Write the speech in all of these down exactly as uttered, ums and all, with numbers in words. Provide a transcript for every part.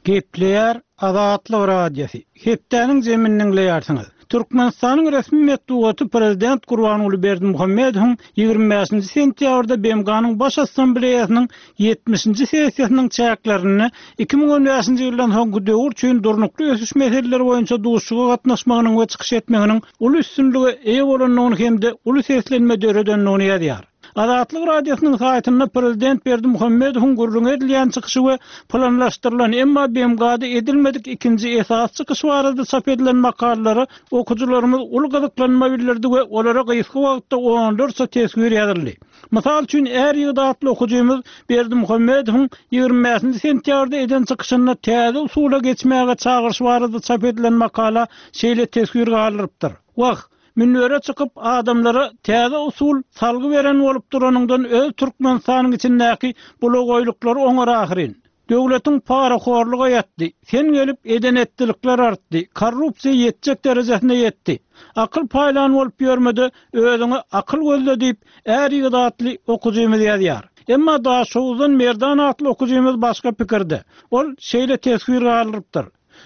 Gepleýär Azatlyk Radiosy. Hepdäniň zemini diňleýärsiňiz. Türkmenistanyň resmi metbugaty prezident Gurbanguly Berdimuhamedowyň ýigrimi bäşinji sentýabrda B M G-nyň Baş Assambleýasynyň ýetmişinji sessiýasynyň çäklerinde iki müň on bäşinji ýyldan soňky döwür üçin durnukly ösüş meseleleri boýunça duşuşyga gatnaşmagynyň we çykyş etmeginiň uly üstünlige eýe bolandygyny hem-de uly seslenme döredendigini ýazýar. Azatlyk Radiosynyň saýtynda prezident Berdimuhamedowyň gürrüň edilýän çykyşy we planlaşdyrylan, emma B M G-da edilmedik ikinji esas çykyş barada çap edilen makalalara okyjylarymyz uly gyzyklanma bildirdi we olara gysga wagtda onlarça teswir ýazyldy. Mysal üçin, är ýigit atly okyjymyz Berdimuhamedowyň ýigrimi bäşinji sentýabrda eden çykyşynda täze usula geçmäge çagyryş barada çap edilen makala şeýle teswir galdyrypdyr. Wah, münbere çykyp adamlara täze usul salgy beren bolup duranyňdan öz Türkmenistanyň içindäki bulagoýluklary oňar ahyryn. Döwletiň parahorluga ýatdy, sen gelip eden etdilikler artdy, korrupsiýa ýetjek derejesine ýetdi. Akyl paýlan bolup ýörmede özüňe akyl gözle diýip är ýigit atly okyjymyz ýazýar. Emma Daşoguzdan Merdan atly okyjymyz başga pikirde. Ol şeýle teswir galdyrypdyr.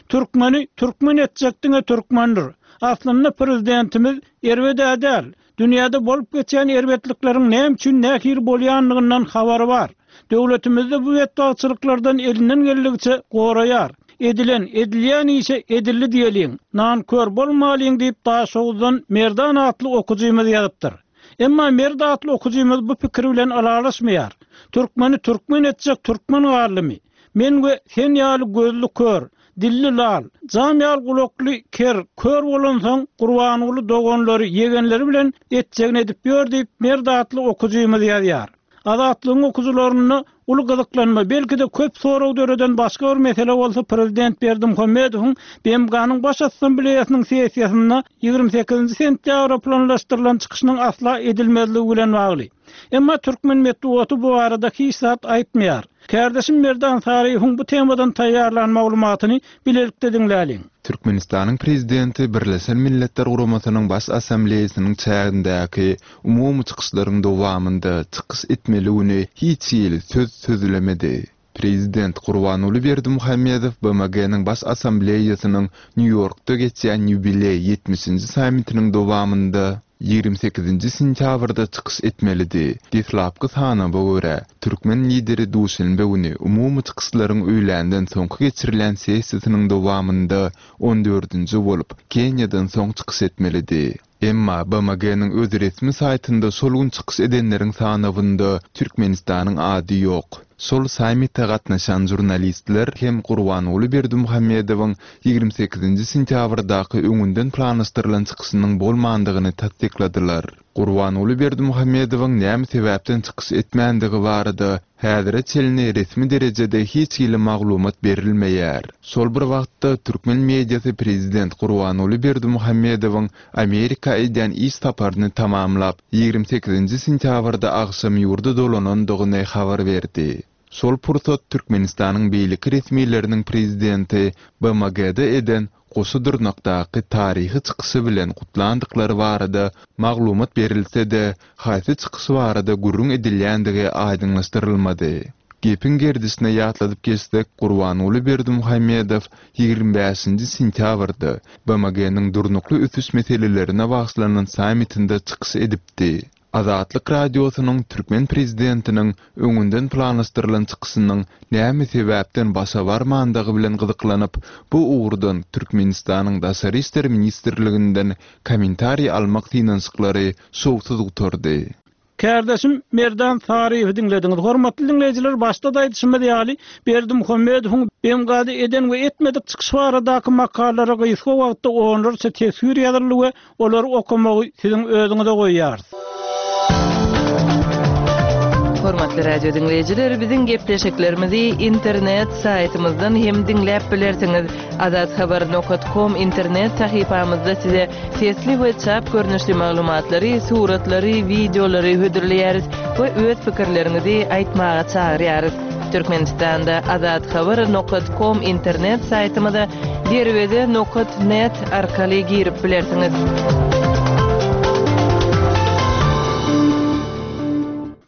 Türkmeni türkmen etjek diňe türkmendir. Aslynda prezidentimiz erbed-ä däl. Dünýäde bolup geçýän erbetlikleriň näme üçin nähili bolýandygyndan habary bar. Döwletimizde bu betbagtçylyklardan elinden geldikçe goraýar. Edilen, edilýän işe edildi diýeliň. Nankör bolmalyň diýip Daşoguzdan Merdan atly okyjymyz ýazypdyr. Emma Merd atly okyjymyz bu pikir bilen alalaşmaýar. Türkmeni türkmen etjek türkmen galdymy? Men we sen ýaly gözli kör, dilli lal, jam ýaly gulakly ker, kör bolansoň Gurbanguly doganlary, ýegenleri bilen etjegini edip ýör diýip Merd atly okyjymyz ýazýar. Azatlygyň okyjylarynda uly gyzyklanma, belki-de köp sorag döreden başga bir mesele bolsa prezident Berdimuhamedowyň B M G-nyň Baş Assambleýasynyň sessiýasynda ýigrimi sekizinji sentýabra planlaşdyrylan çykyşynyň asla edilmezligi bilen bagly. Emma türkmen metbugaty bu barada hiç zat aýtmaýar. Kärdeşim Merdan Saryýewiň bu temadan taýýarlan maglumatyny bilelikde diňläliň. Türkmenistanyň prezidenti Birleşen Milletler Guramasynyň Baş Assambleýasynyň çägindäki umumy çykyşlaryň dowamynda çykyş etmeli güni hiç hili söz sözlemedi. Prezident Gurbanguly Berdimuhamedow B M G-nyň Baş Assambleýasynyň Nýu-Ýorkda geçýän ýubileý ýetmişinji sammitiniň dowamynda ýigrimi sekizinji sentýabrda çykyş etmelidi. Deslapky sanaba görä, türkmen lideri duşenbe güni umumy çykyşlaryň öýländen soňky geçirilen sessiýasynyň dowamynda on dördünji bolup Kenýadan soň çykyş etmelidi. Emma B M G-nyň öz resmi saýtynda şol gün çykyş edenleriň sanawynda Türkmenistanyň ady ýok. Şol sammite gatnaşan jurnalistler hem Gurbanguly Berdimuhamedowyň ýigrimi sekizinji sentýabrdaky öňünden planlaşdyrylan çykyşynyň bolmandygyny tassykladylar. Gurbanguly Berdimuhamedowyň näme sebäpden çykyş etmändigi barada häzire çenli resmi derejede hiç hili maglumat berilmeýär. Şol bir wagtda türkmen mediasy prezident Gurbanguly Berdimuhamedowyň Amerika edýän iş saparyny tamamlap, ýigrimi sekizinji sentýabrda agşam ýurda dolanandygyny habar berdi. Şol pursat Türkmenistanyň beýleki resmileriniň prezidenti B M G-de eden goşa dyrnakdaky taryhy çykyşy bilen gutlandyklary barada maglumat berilse-de, haýsy çykyş barada gürrüň edilýändigi aýdyňlaşdyrylmady. Gepiň gerdişine ýatladyp geçsek, Gurbanguly Berdimuhamedow ýigrimi bäşinji sentýabrda B M G-nyň durnukly ösüş meselelerine bagyşlanan sammitinde çykyş edipdi. Azatlyk Radiosynyň türkmen prezidentiniň öňünden planlaşdyrylan çykyşynyň näme sebäpden başa barmandygy bilen gyzyklanyp, bu ugurdan Türkmenistanyň Daşary işler ministrliginden kommentariý almak synanyşyklary şowsuz gutardy. Kärdeşim Merdan Saryýewi diňlediňiz. Hormatly diňleýjiler, başda da aýdyşymyz ýaly, Berdimuhamedowyň B M G-da eden we etmedik çykyş baradaky makalalara gysga wagtda onlarça teswir ýazyldy we olary okamagy siziň özüňize goýýarys. Hormatly radio diňleýjiler, biziň gepleşiklerimizi internet saýtymyzdan hem diňläp bilersiňiz. Azathabar nokta com internet sahypamyzda size sesli we çap görnüşli maglumatlary, suratlary, wideolary hödürleýäris we öz pikirleriňizi aýtmaga çagyrýarys. Türkmenistanda azathabar nokta com internet saýtymyza derweze nokta net arkaly girip bilersiňiz.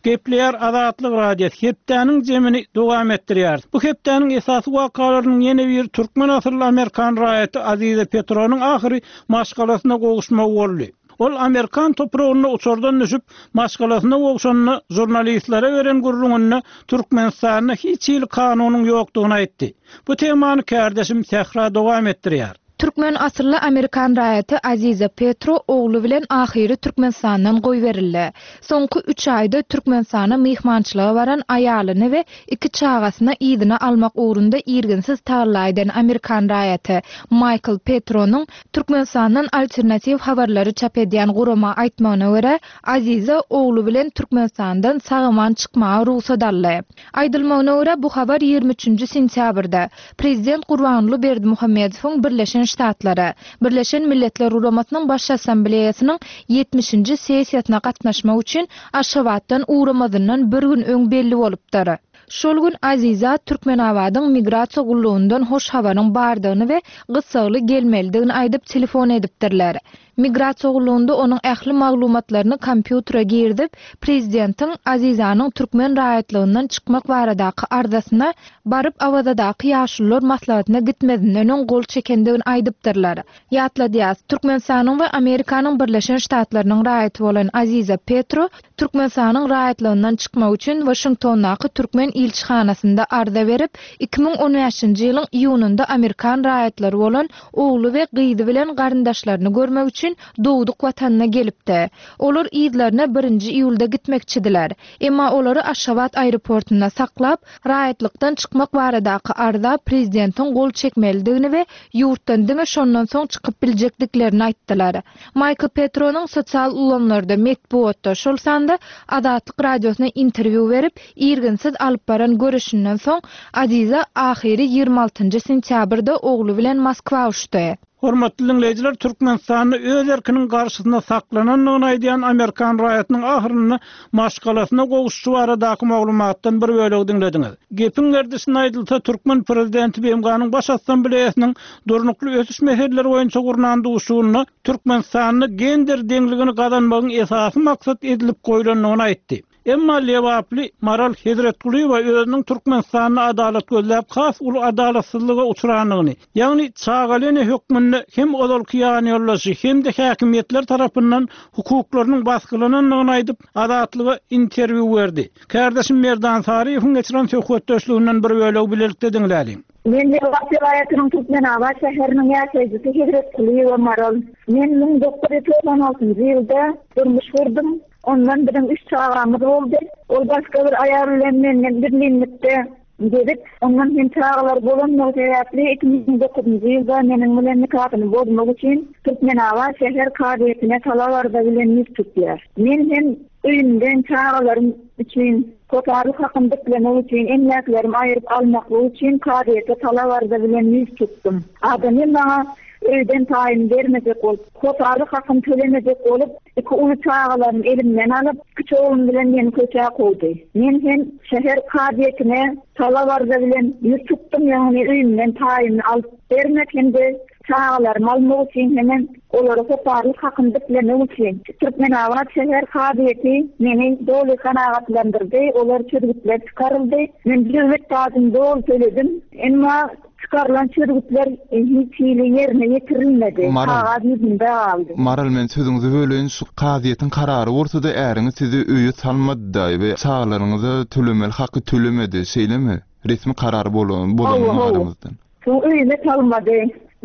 Gepleýär Azatlyk Radiosy hepdäniň jemini dowam etdirýär. Bu hepdäniň esasy wakalarynyň ýene bir türkmen asylly Amerikan raýaty Aziza Petronyň ahyry maşgalasyna gowuşmagy boldy. Ol Amerikan topragynda uçardan düşüp, maşgalasyna gowşanyny žurnalistlere beren gürrüňinde Türkmenistanda hiç hili kanunyň ýokdugyny aýtdy. Bu temany kärdeşim Sähra dowam etdirýär. Türkmen asylly Amerikan raýaty Aziza Petro ogly bilen ahyry Türkmenistandan goýberildi. Soňky üç aýda Türkmenistana myhmançylyga baran aýalyny we iki çagasyny yzyna almak ugrunda irginsiz tagalla eden Amerikan raýaty Michael Petronyň Türkmenistandan alternatiw habarlary çap edýän gurama aýtmagyna görä, Aziza ogly bilen Türkmenistandan sag-aman çykmaga rugsat aldy. Aýdylmagyna görä, bu habar ýigrimi üçünji sentýabrda Prezident Gurbanguly Berdimuhamedowyň Birleşen Ştatlara, Birleşen Milletler Guramasynyň Baş Assambleýasynyň ýetmişinji sessiýasyna gatnaşmak üçin Aşgabatdan ugramazyndan bir gün öň belli bolupdyr. Şol gün Aziza Türkmenabadyň migrasiýa gullugyndan hoş habaryň bardygyny we gyssagly gelmelidigini aýdyp telefon edipdirler. Migrasiýa gullugynda onuň ähli maglumatlaryny kompýutere girizip, prezidentiň Azizanyň türkmen raýatlygyndan çykmak baradaky arzasyna baryp Awazadaky ýaşulular maslahatyna gitmezinden öň gol çekendigini aýdypdyrlar. Ýatladýas, Türkmenistanyň we Amerikanyň Birleşen Ştatlarynyň raýaty bolan Aziza Petro Türkmenistanyň raýatlygyndan çykmak üçin Waşingtondaky türkmen ilçihanasynda arza berip, iki müň on bäşinji ýylyň iýunynda Amerikan raýatlary bolan ogly we gyzy bilen garyndaşlaryny görmek üçin dogduk watanyna gelipdi. Olar yzlaryna birinji iýulda gitmekçidiler. Emma olary Aşgabat aeroportunda saklap, raýatlykdan çykmak baradaky arza prezidentiň gol çekmelidigini we ýurtdan diňe şondan soň çykyp biljekdiklerini aýtdylar. Michael Petronyň sosial ulgamlarda, metbugatda, şol sanda Azatlyk Radiosyna interwýu berip, irginsiz alyp baran görüşünden soň Aziza ahyry ýigrimi altynjy sentýabrda ogly bilen Moskwa uçdy. Hormatly dinleýjiler, Türkmenistanda öz erkiniň garşysynda saklanandygyny aýdýan Amerikan raýatynyň ahyrynda maşgalasyna gowuşy baradaky maglumatdan bir bölegi diňlediňiz. Gepiň gerdişine aýdylsa, türkmen prezidenti B M G-nyň Baş Assambleýasynyň durnukly ösüş meseleleri boýunça gurnan duşuşygynda Türkmenistanda gender deňligini gazanmagyň esasy maksat edilip goýlandygyny aýtdy. Emma Lebaply Maral Hezretgulyýewa özüniň Türkmenistanda adalat gözläp has uly adalatsyzlyga uçrandygyny, ýagny çagaly ene hökmünde hem ozalky ýanýoldaşy hem-de häkimiýetler tarapyndan hukuklarynyň basgylanandygyny aýdyp, Azatlyga interwýu berdi. Kärdeşim Merdan Saryýewiň geçiren söhbetdeşliginden bir bölegi bilelikde diňläliň. Men Lebap welaýatynyň Türkmenabat şäheriniň ýaşaýjysy Hezretgulyýewa Maral. Men müň dokuz ýüz togsan altynjy ýylda durmuş gurdum. Ondan biziň üç çagamyz boldy. Ol başga bir aýal bilen menden birlikde gezip, ondan hem çagalar bolandygy sebäpli iki müň dokuzynjy ýylda meniň bilen nikasyny bozmak üçin Türkmenabat şäher kazyýetine talap arza bilen ýüz tutýar. Men hem öýümden çagalarym üçin hossarlyk hakyny diklemek üçin, emläklerimi aýryp almaklyk üçin kazyýete talap arza bilen ýüz tutdum. Adam hem bana öýden taýyn bermejek bolup, hossarlyk hakyny tölemejek bolup, iki uly çagalarymy elimden alyp, kiçi oglum bilen meni köçä kowdy. Men hem şäher kazyýetine talap arza bilen ýüz tutdum, ýagny öýümden taýyny alyp bermek hem-de çagalarymy almak üçin hemen olary hossarlyk hakyny diklemek üçin Türkmenabat şäher kazyýeti meni doly kanagatlandyrdy, olar çözgütler çykaryldy. Men döwlet pajyny doly töledim, emma çykarylan çözgütler hiç hili ýerine ýetirilmedi. Maral, Kagaz ýüzünde galdy. Maral, men sözüňizi böleýin, şu kazyýetiň karary bolsa-da äriňiz sizi öýe salmady we çagalaryňyza tölemeli haky tölemedi, şeýlemi? Resmi karar bolan, bolanyna Hawa, hawa. garamazdan. Şu öýüme salmady.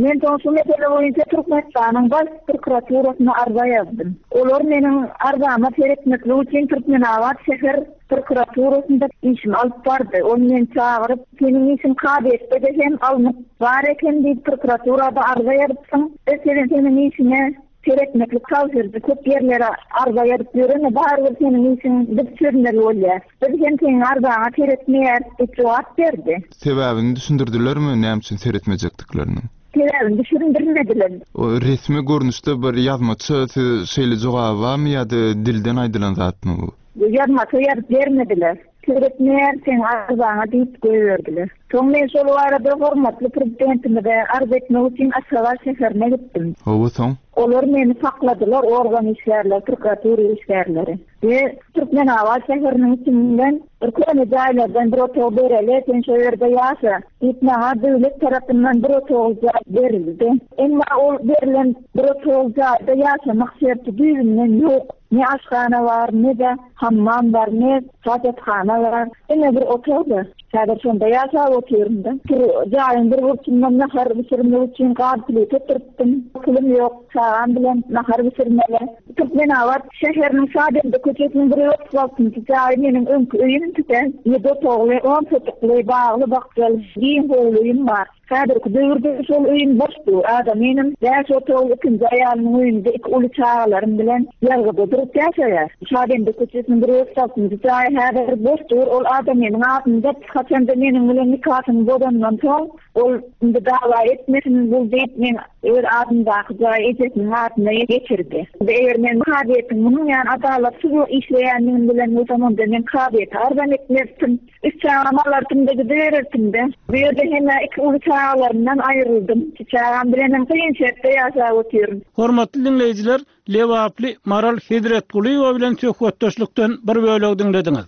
Men soň şu mesele boýunça Türkmenistanyň Baş prokuraturasyna arza ýazdym. Olar meniň arzama seretmeklik üçin Türkmenabat şäher prokuraturasynda işimi alyp bardy. Ol meni çagyryp, seniň işiň kazyýetde hem alnyp bar eken diýip prokuraturada arza ýazypsyň. Biz seniň, seniň işine seretmeklik tabşyrdy. Köp ýerlere arza ýazyp ýöreme, barybir seniň işiň biz çözmeli bolýar. Biz hem seniň arzaňa seretmeýäris diýip jogap berdi. Sebäbini düşündirdilermi, näme üçin seretmejekdiklerini? Sebäbini düşündirmediler. O resmi görnüşde bir ýazmaça siz şeýle jogaby barmy ýa-da dilden aýdylan zatmy bu? Ýazmaça ýazyp bermediler. Seretmeýär seň arzaňa diýip goýberdiler. Soň men şol barada hormatly prezidentimize arz etmek üçin Aşgabat şäherine gitdim. Hawa soň? Olar meni sakladylar, organ işgärleri, prokuratura işgärleri. We Türkmenabat şäheriniň içinden bir köne jaýlardan bir otag bereli, sen şo ýerde ýaşa diýip maňa döwlet tarapyndan bir otag jaý berildi. Emma ol berilen bir otag jaýda ýaşamak şerti düýbünden ýok. Ne aşhana bar, ne de hammam bar, ne hajathana bar. Diňe bir otagda. Häzir şonda ýaşap otyryn-da. Bir jaýyň bir burçundan nahar bişirmek üçin gaz plita oturtdym. Pulum ýok, çagam bilen nahar bişirmeli. Türkmenabat şäheriniň Şadende köçesiniň bir otuz altynjy jaýy meniň öňki öýüm tüten. Ýedi otagly, on sotykly, bagly bakjaly, giň howly öýüm bar. Häzirki döwürde şol öýüm boş dur. Adamynym bäş otagly ikinji aýalymyň öýünde iki uly çagalarym bilen ýazgyda durup ýaşaýar. Şadende köçesiniň bir otuz altynjy jaýy häzir boş dur. Ol adamynyň adynda haçanda meniň bilen nikasyny bozandan soň ol indi dawa etmesin bul diýip men öz adymdaky jaýy ejesiniň adyna geçirdi. Eger men kazyýetiň munuň ýaly adalatsyz işleýändigini bilen bolsam, onda men kazyýete arzam etmezdim. Üç çagam alardym-da gidibererdim-de. Bu ýerde hem iki uly çagalarymdan aýryldym. Iki çagam bilen hem kyn şertde ýaşap otyryn. Hormatly dinleýjiler, Lebaply Maral Hezretgulyýewa bilen söhbetdeşlikden bir bölek diňlediňiz.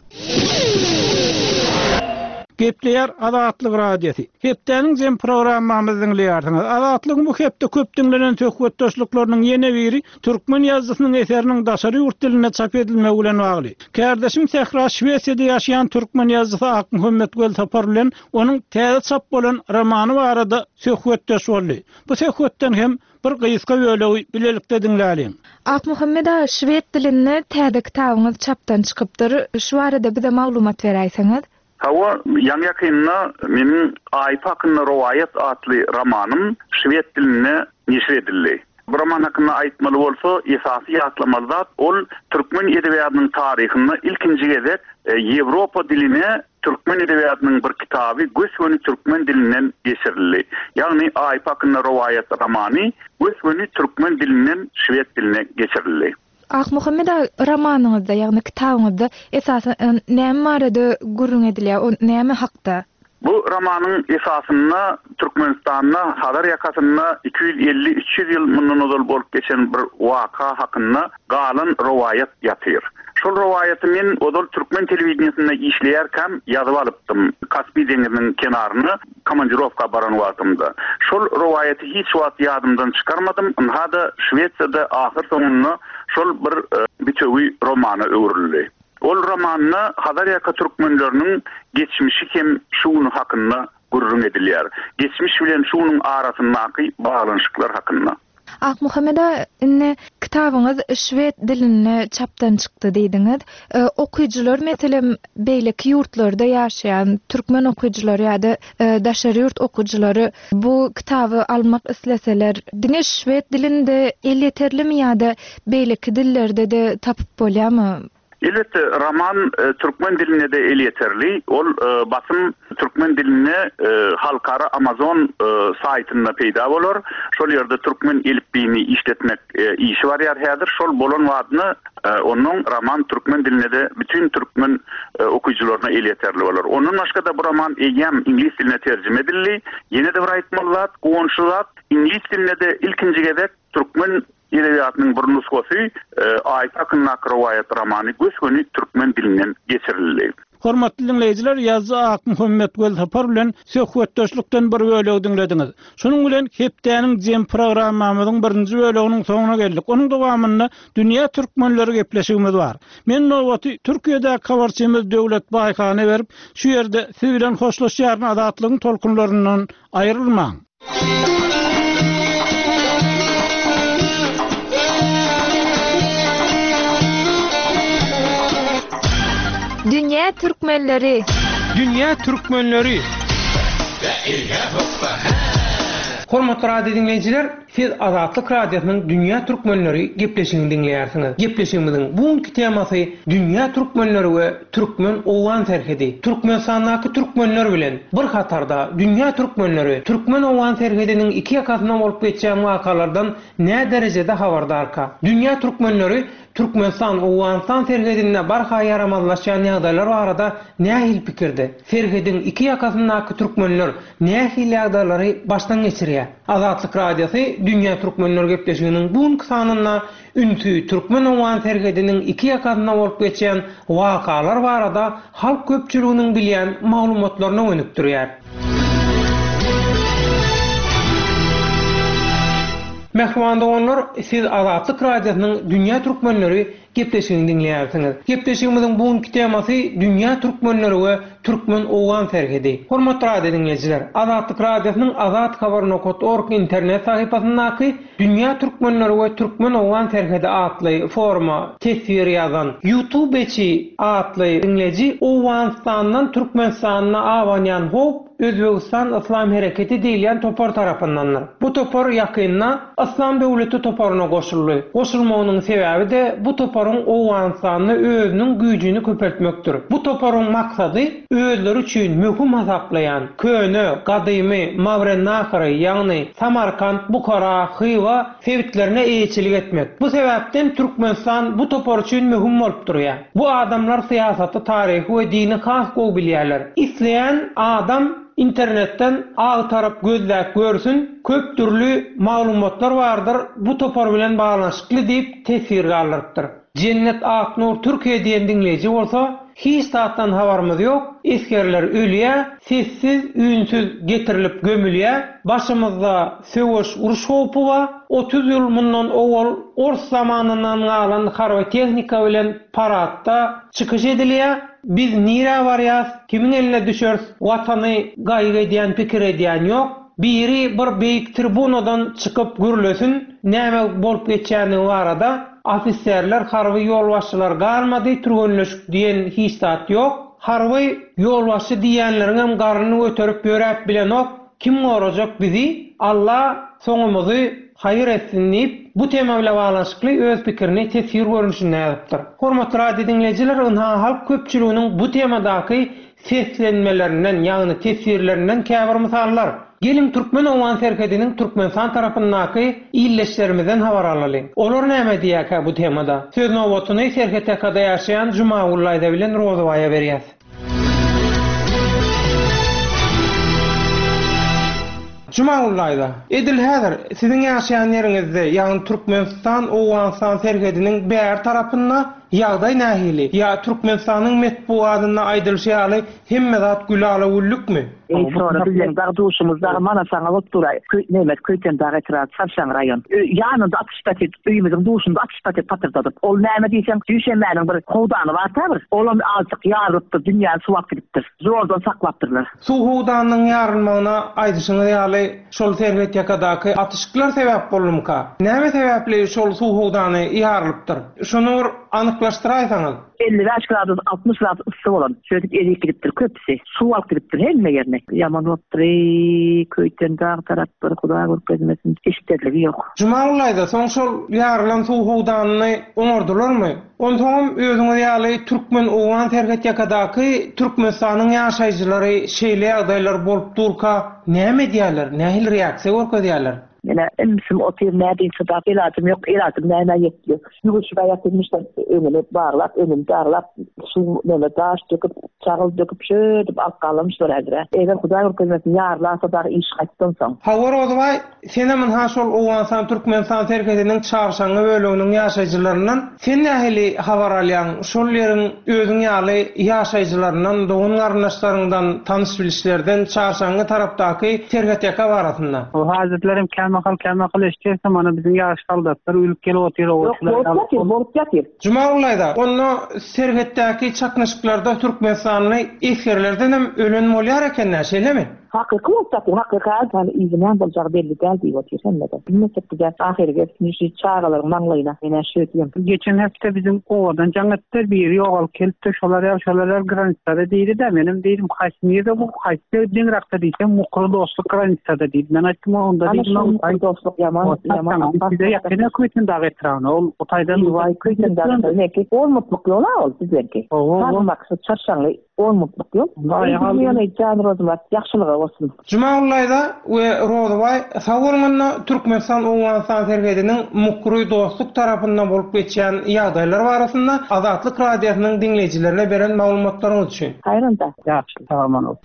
Gepleýär Azatlyk Radiosy. Hepdäniň jem programmamyzy diňleýärsiňiz. Azatlygyň bu hepde köp diňlenen söhbetdeşlikleriniň ýene biri türkmen ýazyjysynyň eseriniň daşary ýurt dilinde çap edilmegi bilen bagly. Kärdeşim Sähra Şwesiýada ýaşaýan türkmen ýazyjysy Akmuhammet Welsapar bilen onuň täze çap bolan romany barada söhbetdeş boldy. Bu söhbetden hem bir gysga bölegi bilelikde diňläliň. Akmuhammet aga, şwed dilinde täze kitabyňyz çapdan çykypdyr. Şu barada bize maglumat beräýseňiz. Hawa, ýaňy ýakynda meniň Aýp hakynda rowaýat atly romanym şwed dilinde neşir edildi. Bu roman hakynda aýtmaly bolsa, esasy ýatlamaly zat ol türkmen edebiýatynyň taryhynda ilkinji gezek, e, Ýewropa diline türkmen edebiýatynyň bir kitaby gös-göni türkmen dilinden geçirildi. Ýagny Aýp hakynda rowaýat romany gös-göni türkmen dilinden şwed diline geçirildi. Akmuhammet aga, romanyňyzda, ýagny kitabyňyzda esasan näme barada gürrüň edilýär, o näme hakda? Bu romanyň esasynda Türkmenistanda Hazar ýakasynda iki ýüz elli üç ýüz ýyl mundan ozal bolup geçen bir waka hakynda galan rowaýat ýatyr. Şol rowaýaty men ozal türkmen telewideniýesinde işleýärkäm ýazyp alypdym. Kaspi deňiziniň kenaryna komandirovka baran wagtymda. Şol rowaýaty hiç wagt ýadymdan çykarmadym. Ynha-da Şwesiýada ahyr soňunda şol bir, e, bitewi romana öwrüldi. Ol romanda Hazar ýaka türkmenleriniň geçmişi hem şuny hakynda gürrüň edilýär. Geçmiş bilen şunuň arasyndaky baglanyşyklar hakynda. Akmuhammet aga, indi kitabyňyz şwed dilinde çapdan çykdy diýdiňiz. E, okyjylar meselem beýleki ýurtlarda ýaşaýan türkmen okyjylary ýa-da, e, daşary ýurt okyjylary bu kitaby almak isleseler, diňe şwed dilinde elýeterlimi ýa-da beýleki dillerde de tapyp bolýarmy? Elbetde, roman, e, türkmen dilinde de elýeterli. Ol, e, basym türkmen dilinde, e, halkara Amazon, e, saýtynda peýda bolar. Şol ýerde türkmen elipbiýini işletmek, e, işi barýar häzir. Şol bolan wagtynda, e, onuň roman türkmen dilinde de bütün türkmen, e, okyjylaryna elýeterli bolar. Ondan başga da bu roman eýýäm iňlis diline terjime edildi. Ýene de bir aýtmaly zat, guwançly zat, iňlis dilinde de ilkinji gezek türkmen edebiýatynyň bir nusgasy, e, Aýp hakyndaky rowaýat romany gös-göni türkmen dilinden geçirildi. Hormatly dinleýjiler, ýazyjy Akmuhammet Welsapar bilen söhbetdeşlikden bir bölegi diňlediňiz. Şunuň bilen hepdäniň jem programmamyzyň birinji böleginiň soňuna geldik. Onuň dowamynda dünýä türkmenleri gepleşigimiz bar. Men nowaty Türkiýedäki habarçymyz Döwlet Baýhana berip, şu ýerde siz bilen hoşlaşýaryn, Azatlygyň tolkunlaryndan aýrylmaň. Dünýä türkmenleri. Dünýä türkmenleri. Hormatly radio dinleýjiler, siz Azatlyk Radiosynyň Dünýä Türkmenleri gepleşigini diňleýärsiňiz. Gepleşigimiziň bugünkü temasy Dünýä Türkmenleri we Türkmen-Owgan serhedi. Türkmenistandaky türkmenler bilen bir hatarda Dünýä Türkmenleri Türkmen-Owgan serhediniň iki ýakasynda bolup geçýän wakalardan nä derejede habardarka? Dünýä Türkmenleri Türkmenistan Owganystan serhedinde barha ýaramazlaşýan ýagdaýlar barada nähili pikirde? Serhediň iki ýakasyndaky türkmenler nähili ýagdaýlary başdan geçirýär? Azatlyk Radiosy Dünýä Türkmenler gepleşiginiň bu günki sanynda ünsi Türkmen-Owgan serhediniň iki ýakasynda bolup geçýän wakalar barada halk köpçüliginiň bilýän maglumatlaryny gönükdirýär. Mähriban doganlar, siz Azatlyk Radiosynyň Dünýä Türkmenleri gepleşigini diňleýärsiňiz. Gepleşigimiziň bu günki temasy Dünýä Türkmenleri we Türkmen-Owgan serhedi. Hormatly radio diňleýjiler, Azatlyk Radiosynyň azathabar nokta org internet sahypasyndaky Dünýä Türkmenleri we Türkmen-Owgan serhedi atly foruma teswir ýazan YouTubeçi atly diňleýji Owganystandan Türkmenistana abanýan howp Özbegistan Islam Hereketi diýilýän topar tarapyndandyr. Bu topar ýakynda Islam döwleti toparyna goşuldy. Goşulmagynyň sebäbi de bu toparyň Owganystanda özüniň güýjüni köpeltmekdir. Bu toparyň maksady özleri üçin möhüm hasaplaýan köne, gadymy Mawrennahyry, ýagny Samarkant, Bukhara, Hywa sebitlerine eýeçilik etmek. Bu sebäpden Türkmenistan bu topar üçin möhüm bolup durýar. Bu adamlar syýasaty, taryhy we dini has gowy bilýärler. Isleýän adam internetden agtaryp gözläp görsün, köp dürli maglumatlar bardyr, bu topar bilen baglanyşykly diýip teswir galdyrypdyr. Cennet Aknur Türkiýe diýen diňleýji bolsa, hiç zatdan habarymyz ýok, esgerler ölýär, sessiz, ünsüz getirilip gömülýär, başymyzda söweş uruş howpy bar, otuz ýyl mundan owal ors zamanyndan galan harby tehnika bilen paradda çykyş edilýär. Biz nirä barýas, kimiň eline düşeris, watany gaýgy edýän, pikir edýän ýok. Biri bir beýik tribunadan çykyp gürlesin, näme bolup geçýänligi barada ofiserler, harby ýolbaşçylar galmady, türgenleşik diýen hiç zat ýok. Harby ýolbaşçy diýenleriň hem garnyny göterip ýöräp bilenok, kim gorajak bizi? Allah soňumyzy haýyr etsin diýip, bu tema bilen baglanyşykly öz pikirini teswir görnüşinde ýazypdyr. Hormatly radio diňleýjiler, ynha halk köpçüliginiň bu temadaky seslenmelerinden, ýagny teswirlerinden käbir mysallar. Gelin Türkmen-Owgan serhediniň Türkmenistan tarapyndaky illeşlerimizden habar alalyň. Olar näme diýýärkä bu temada? Söz nobatyny serhet ýakada ýaşaýan Jumagul Aýda bilen Rozybaýa berýäs. Jumagul Aýda, edil häzir siziň ýaşaýan ýeriňizde, ýagny Türkmenistan Owganystan serhediniň bäri tarapynda ýagdaý nähili? Ýa Türkmenistanyň metbugatynda aýdylyşy ýaly hemme zat gülala güllükmi? Ey sonra bizden dag duşumuz dag mana sana bolup duray. Köy Mehmet Köyten dag etrap Çarşaň raýon. Ýanynda atyş paket, öýümüziň duşunda atyş paket patyrdadyp. Ol näme diýseň, düşenmäniň bir howdany bar ta bir. Olam azjyk ýarylypdyr, dünýäni suwap gidipdir. Zordan saklapdyrlar. Suw howdanynyň ýarylmagyna aýdyşyňyz ýaly şol serhet ýakadaky atyşyklar sebäp boldumyka? Näme sebäpli şol suw howdany ýarylypdyr? Şuny bir anyklaşdyraýsaňyz. elli bäş gradus, altmyş gradus yssy bolan. Şöýdüp erip gidipdir köpüsi. Suw alyp gidipdir hemme ýerine. Ýaman bolupdyr, ey, Köýten dag taraplar Hudaý görkezmesin, eşiterligi ýok. Jumagul aýda soň şol ýarylan suw howdanyny oňardylarmy? Onsoňam özüňiz ýaly Türkmen-Owgan serhet ýakadaky Türkmenistanyň ýaşaýjylary şeýle ýagdaýlar bolup durka näme edýärler? Nähili reaksiýa görkezýärler? Mene emsim otyr nädin çydap, elajym ýok, elajym näme ýetdi. Ýuwuşyp aýatymyşdan öňüni baglap, öňüni daglap, suw näme daş döküp, çagyl döküp, şöýdüp alyp galamyşlar häzir. Eger Hudaý görkezmesin, ýarlasa dagy iş gaýtdan soň. Hawa Rozybaý, senem ynha şol Owganystan Türkmenistan serhediniň Çarşaňňy böleginiň ýaşaýjylaryndan sen nähili habar alýaň? Şol ýeriň özüň ýaly ýaşaýjylaryndan, dogan garyndaşlaryňdan, tanyş bilişlerden Çarşaňňy tarapdaky serhet ýaka barasynda. O hazretlerim kämahal kämahal eşitse mana biziň ýaş soldatlar ölüp gelip otyr Ýok, bolup ýatyr, bolup ýatyr. Jumagul aýda, onda serhetdäki çaknyşyklarda Türkmenistanly esgerlerden hem ölen bolýar eken-dä, şeýlemi? Hakyky bolup ýatyr, hakyky yani yzyna boljagy belli däl diýip otyr hemmede. Bilmesek bize ahyry gelsin şu çagalaryň maňlaýyna. Ene şu diýem. Geçen hepde biziň owadan jaň etdi, biri ýogalyp gelipdi, şolar ýa şolar ýa granisada diýdi de, menem diýdim, haýsy nirde bu, haýsy deňrakda diýsem, Mukry dostluk granisada diýdi. Men aýtdym, onda Ana diýdim, şu Mukry dostluk ýaman ýaman. Bize ýakyn Köýtendag etrabyna ol o taýdan Waý Köýtendag neki on mutluk ýol ol bizdenki. Sarmak şu Çarşaňly on mutluk ýol. Ýöne jan Rozmyrat ýagşylyga bolsun. Jumagullaýda we Rozybaý sag bolmanda Türkmenistan Owganystan serhediniň Mukry dostluk tarapyndan bolup geçýän ýagdaýlar barasynda Azatlyk radiosynyň diňleýjilerine beren maglumatlaryňyz üçin. Haýranda. Ýagşy, sag bolun.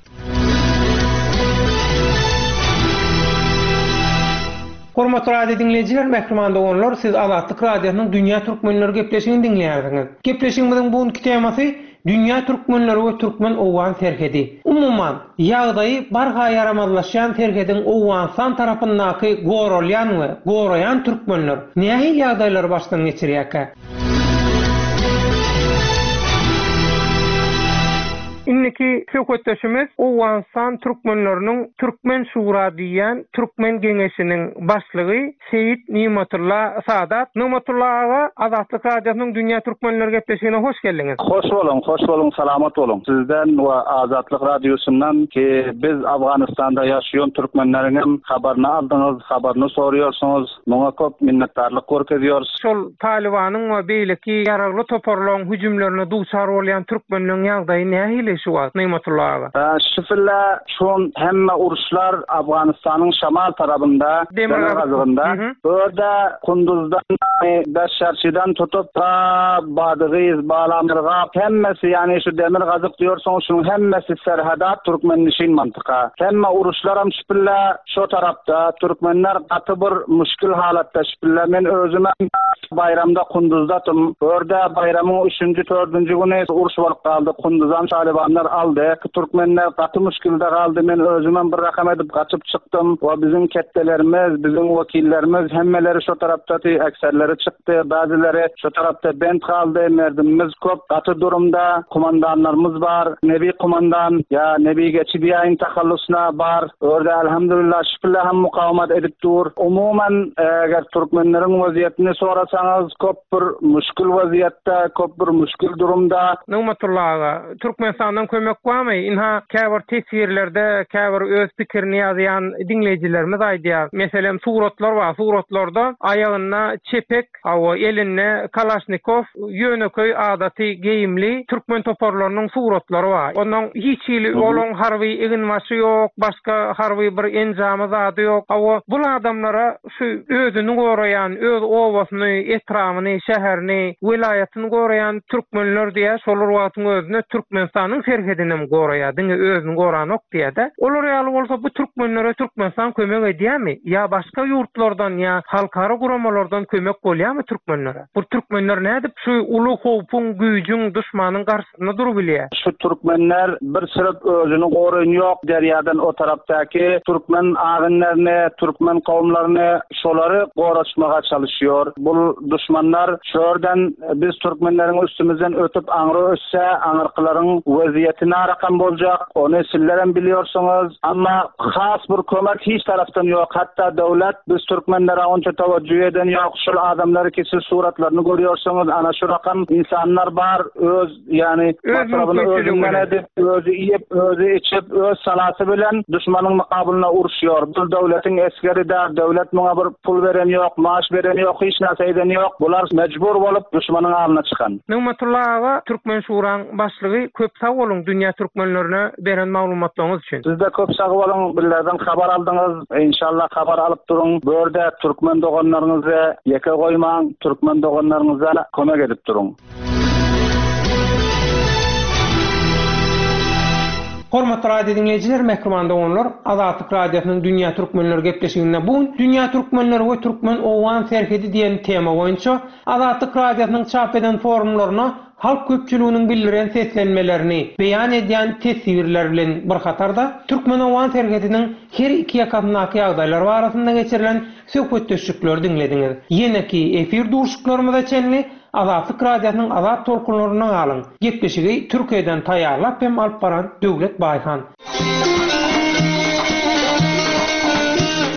Hormatly radio diňleýjiler, mähriban doganlar, siz Azatlyk radiosynyň Dünýä Türkmenleri gepleşigini diňleýärsiňiz. Gepleşigimiziň bu günki temasy Dünýä Türkmenleri we Türkmen-Owgan serhedi. Umuman, ýagdaýy barha ýaramazlaşýan serhediň Owganystan tarapyndaky goralýan we goraýan türkmenler nähili ýagdaýlary başdan geçirýärkä? Indiki söhbetdeşimiz Owganystan türkmenleriniň Türkmen Şura diýen Türkmen Geňeşiniň başlygy Seýit Nimatulla Sadat. Nimatulla aga, Azatlyk Radiosynyň Dünýä Türkmenleri gepleşigine hoş geldiňiz. Hoş boluň, hoş boluň, salamat boluň. Sizden we Azatlyk Radiosyndan ki biz Afganistanda ýaşaýan türkmenleriň habaryny aldyňyz, habaryny soruyorsunuz. Muňa köp minnetdarlyk görkeziyoruz. Şol Talibanyň we beýleki ýaragly toparlaryň hüjümlerine duçar bolýan türkmenleriň ýagdaýy nähili şu wagt Nimatulla aga? Şifilla şun hemme uruşlar Afganistanyň şamal tarapynda, demirgazygynda. Orada Kunduzdan, Beşşarçydan tutup ta Badygyz, Balamyrgap hemmesi yani şu demirgazyk diyorsun şunun hemmesi serhadat Türkmenişin mantıka. Hemme uruşlaram şifilla şu tarapta Türkmenler gaty bir müşkil halatda şifilla. Men özüme bayramda Kunduzdatım. Orada bayramın üçüncü, dördüncü günü uruş bolup kaldı. Kunduzdan Talibanlar aldı. Türkmenler gaty müşkilde kaldı. Men özüme bir rakam edip kaçıp çıktım. O bizim kettelerimiz, bizim vekillerimiz hemmeleri şu tarapta ekserleri çıktı. Bazıları şu tarapta bent kaldı. Merdimimiz köp. Katı durumda kumandanlarımız var. Nebi kumandan ya Nebi geçidiyayin tahallusuna var. Orada elhamdülillah şükürler hem mukavemet edip dur. Umumen eğer Türkmenlerin vaziyetini sorasanız köp bir müşkül vaziyette, köp bir müşkül durumda. Nimatulla aga, Türkmenistandan kömek barmy? Inha käbir teswirlerde, käbir öz pikirini ýazýan diňleýjilerimiz aýdýar. Meselem suratlar bar. Suratlarda aýagynda çepek, awa elinde Kalaşnikov, ýöneköý adaty geýimli türkmen toparlarynyň suratlary bar. Ondan hiç hili olaň harby eginbaşy ýok, başga harby bir enjamy zady ýok. Awa bu adamlara şu özüni goraýan, öz owasyny, etrabını, şäherini, welaýatyny goraýan türkmenler diýä, şolar wagtyň özünde Türkmenistanyň serhedini hem goraýar, diňe özüni goranok diýä-de. Olar ýaly bolsa bu türkmenlere Türkmenistan kömek edýärmi? Ýa başga ýurtlardan ýa halkara guramalardan kömek bolýarmy türkmenlere? Bu türkmenler nädip şu uly howpuň, güýjüň, düşmanyň garşysynda durup bilýär? Şu türkmenler bir sürüp özüni goraýan ýok derýadan o tarapdaky türkmen agynlaryny, türkmen kowumlaryny şolary goraçmaga çalışıyor. Bu düşmanlar şörden biz türkmenlerin üstümüzden ötüp aňry ötse, aňyrkylaryň weziyeti narakam boljak, ony sizlerem biliyorsunuz. Ama has bir kömek hiç taraftan yok. Hatta devlet biz türkmenlere onça teveccüh eden yok. Şul adamları ki siz suratlarını görüyorsunuz. Ana şu rakam insanlar var. Öz yani Öz masrafını mümkünçülüğü özünden bilen. edip, özü yiyip, özü içip, öz salatı bilen düşmanın mukabılına uruşuyor. Bu devletin eskeri de, devlet buna bir pul veren yok, maaş veren yok, hiç nasıl eden yok. Bular mecbur olup düşmanın alnına çıkan. Nimatulla aga, Türkmen Şuraň başlygy köp sag boluň dünýä türkmenlerine beren maglumatlaryňyz üçin. Siz de köp sag boluň, bizlerden habar aldyňyz. İnşallah habar alyp durun. Bu ýerde türkmen doganlaryňyzy ýeke goýmaň, türkmen doganlaryňyza kömek edip durun. Hormatly radio dinleýjiler, mähriban doganlar, Azatlyk Radiosynyň Dünýä Türkmenleri gepleşiginde bu gün Dünýä Türkmenleri we Türkmen Owgan serhedi diýen tema boýunça Azatlyk Radiosynyň çap eden forumlaryna halk köpçüliginiň bildiren seslenmelerini beýan edýän teswirler bilen bir hatarda Türkmen Owgan serhediniň her iki ýakasyndaky ýagdaýlar barasynda geçirilen söhbetdeşlikleri diňlediňiz. Ýeneki efir duşuklarymyza çenli Azatlyk Radiosynyň azat tolkunlaryna galyň. Gepleşigi Türkiýeden taýýarlap hem alyp baran Döwlet Baýhan.